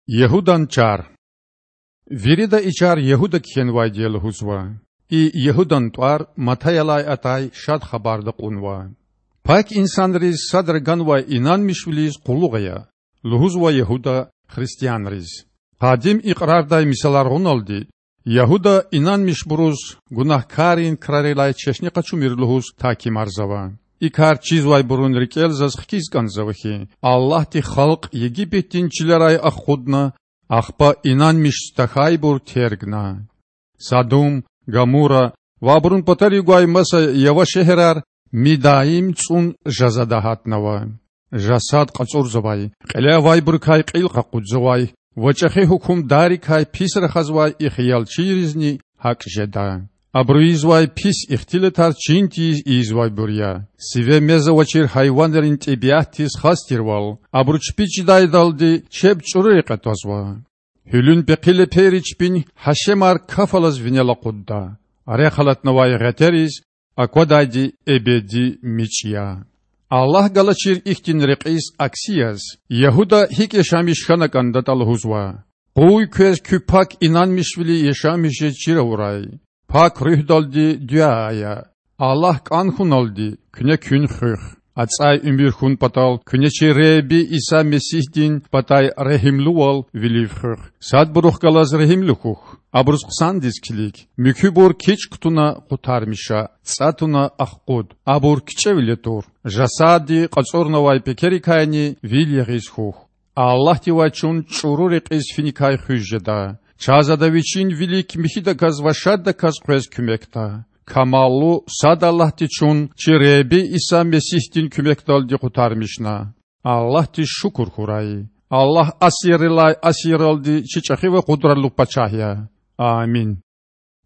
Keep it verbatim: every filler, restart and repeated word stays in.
Ягьудан чар. Вирида и чар Ягьуда кхьенвайди я лугьузва. И Ягьудан тІвар Матаялай атай Шад Хабарда кьунва. Пак инсанриз садра ганвай инанмишвилиз къуллугъ ая,– лугьузва Ягьуда христианриз. Къадим Икьрардай мисалар гъуналди, Ягьуда инанмишбуруз гунагькаррин крарилай чешне къачумир лугьуз тагькимарзава. И кар чизвайбурун рикІел заз хкиз кІанзава хьи, Аллагьди халкь Египетдин чилерай ахкъудна, ахпа инанмишиз тахьайбур тергна. Садум, Гамура ва абурун патарив гвай маса ява шегьерар мидаим цІун жазада гьатнава. Жасад кьацІурзавай, кьиле авайбурукай кьил къакъудзавай ва чІехи гьукумдаррикай пис рахазвай и хиялчийризни гьакІ жеда. Абуру ийизвай пис ихтилатар чин тийиз ийизвайбур я. Сиве мез авачир гьайванрин тІебиатдиз хас тирвал, абуру чпи чидайдалди чеб чІуру рекье твазва. Гьуьлуьн пехъи лепейри чпин гьашемар каф алаз винел акъудда. Рехъ алатнавай гъетериз аквадайди эбеди мичІ я. Аллагь галачир ихьтин рекьиз акси яз, Ягьуда гьикІ яшамиш хьана кІандатІа лугьузва: Къуй квез куь пак инанмишвили яшамиш жез чир авурай. Пак Руьгьдалди дуьа ая. Аллагь кІан хьуналди, куьне куьн хуьх. АцІай уьмуьр хьун патал куьне чи Худа Иса Месигьдин патай регьимлувал вилив хуьх. Садбурухъ галаз регьимлу хьухь. Абуруз хъсандиз килиг. Муькуьбур кичІ кутуна къутармиша, цІа туна ахкъуд. Абур кичІевиле тур. Жасадди кьацІурнавай пекерикайни вил ягъиз хьухь. Аллагьдивай чун чІуру рекьиз финикай хуьз жеда. Чаз Ада Вичин вилик михьидаказ ва шаддаказ къвез куьмекда. Камаллу сад Аллагьди чун чи Худа Иса Месигьдин куьмекдалди къутармишна. Аллагьдиз шукур хьурай. Аллагь асиррилай асирралди чи чІехи ва къудратлу пачагь я. Амин.